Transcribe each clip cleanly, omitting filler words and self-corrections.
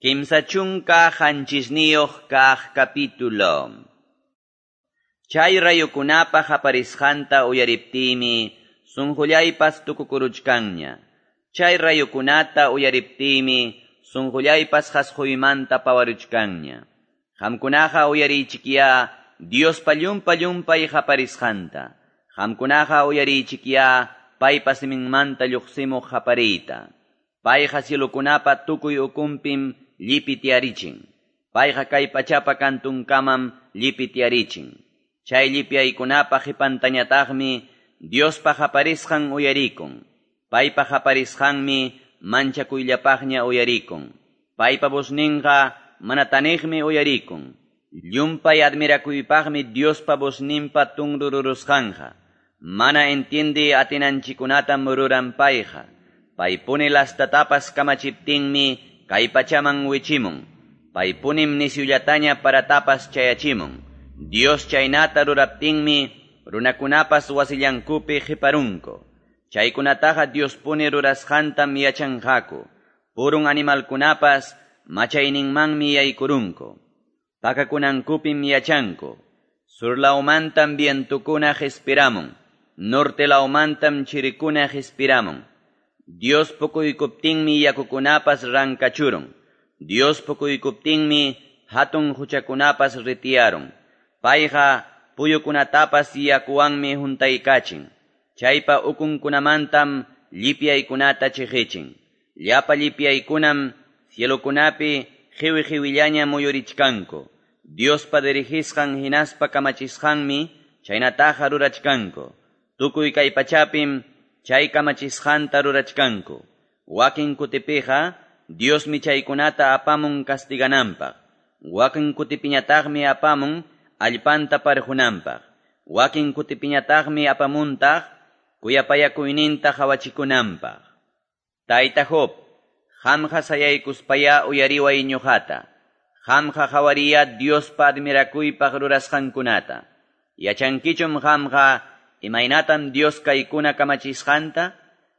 37 kaq capítulo. Chay rayukunapa qaparisqanta uyariptiymi sunqullaypas tukukuruchkanña. Chay rayukunata uyariptiymi sunqullaypas qasquymanta pawaruchkanña. Qamkunaqa uyariychikyá Diospa llumpa-llumpay qaparisqanta. Qamkunaqa uyariychikyá paypa siminmanta lluqsimuq qapariyta. Payqa cielokunapa tukuy ukunpim llipitiarichin. Payqa kay pachapa kantunkamam llipitiarichin. Chay llipyaykunapa qipantañataqmi Diospa qaparisqan uyarikun. Paypa qaparisqanmi manchakuyllapaqña uyarikun. Paypa vozninqa mana taniqmi uyarikun. Llumpay admirakuypaqmi Diospa vozninpa tunrururusqanqa. Mana entiende atinanchikunatam ruran payqa. Paypuni lastatapas kamachiptinmi kay pachaman wichimun. Paypunim nisyullataña paratapas chayachimun. Dios chaynata ruraptinmi runakunapas wasillankupi qiparunku. Chaykunataqa Diospuni rurasqantam yachanqaku. Purun animalkunapas machayninmanmi yaykurunku. Pakakunankupim yachanku. Surlawmantam vientukuna qhispiramun. Norte lawmantam chirikuna qhispiramun. Dios pukuykuptinmi yakukunapas rankachurun. Dios pukuykuptinmi hatun huchakunapas ritiyarun. Payqa puyukunatapas yakuwanmi huntaykachin. Chaypa ukunkunamantam llipyaykunata chiqichin. Llapa llipyaykunam cielokunapi qiwi-qiwillaña muyurichkanku. Diospa dirigisqan hinaspa kamachisqanmi chaynataqa rurachkanku. Tukuy kay pachapim chay kamachisqanta rurachkanku. Wakin kutipiqa Diosmi chaykunata apamun castigananpaq. Wakin kutipiñataqmi apamun allpanta parjunanpaq. Wakin kutipiñataqmi apamuntaq kuyapayakuyninta qawachikunanpaq. Tayta Job, qamqa sayaykuspaya uyariway ñuqata. Qamqa qhawariya Diospa admirakuypaq rurasqankunata. Yachankichum qamqa imaynatam Dios kaykuna kamachisqanta?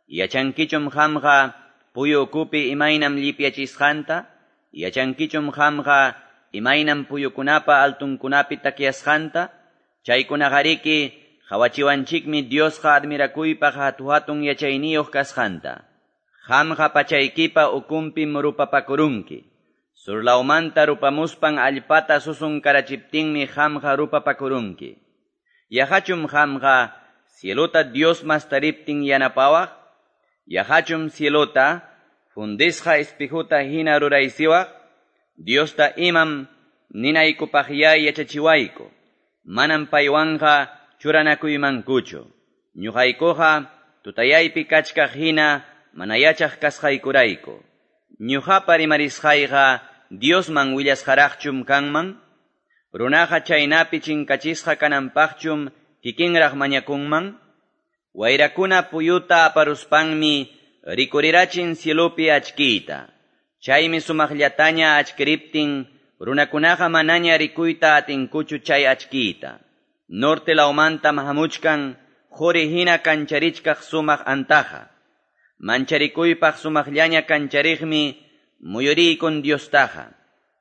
Yachankichum qamqa puyu ukupi imaynam llipyachisqanta? Yachankichum qamqa imaynam puyukunapa altunkunapi takyasqanta? Chaykunaqariki qawachiwanchikmi Diosqa admirakuypaq hatu-hatun yachayniyuq kasqanta. Qamqa pachaykipa ukunpim rupapakurunki. Surlawmanta rupamuspan allpata susunkarachiptinmi qamqa rupapakurunki. Yaqachum qamqa cielota Dios mastariptin yanapawaq? Yaqachum cielota fundisqa espejuta hina ruraysiwaq? Diosta imam ninaykupaqyá yachachiwayku. Manam paywanqa churanakuymankuchu. Ñuqaykuqa tutayaypi kachkaq hina mana yachaq kasqaykurayku. Ñuqapa rimarisqayqa Diosman willasqaraqchum kanman? Runaqa chaynapi chinkachisqa kananpaqchum kikinraq mañakunman? Wayrakuna puyuta aparuspanmi rikurirachin cielopi achkiyta. Chaymi sumaqllataña achkiriptin runakunaqa manaña rikuyta atinkuchu chay achkiyta. Norte lawmantam hamuchkan quri hina kancharichkaq sumaq antaqa. Mancharikuypaq sumaqllaña kanchariqmi muyuriykun Diostaqa.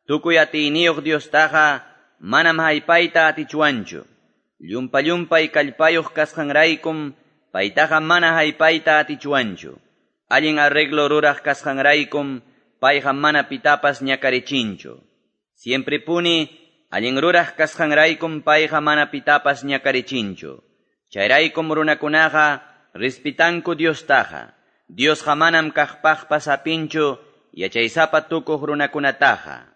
Tukuy atiyniyuq Diostaqa manam haypayta atichwanchu. Llumpa-llumpay kallpayuq kasqanraykum paytaqa mana haypayta atichwanchu. Allin arreglo ruraq kasqanraykum payqa mana pitapas ñakarichinchu. Siempre puni allin ruraq kasqanraykum payqa mana pitapas ñakarichinchu. Chayraykum runakunaqa respitanku Diostaqa. Diosqa manam kaqpaqpas hapinchu yachaysapa tukuq runakunataqa.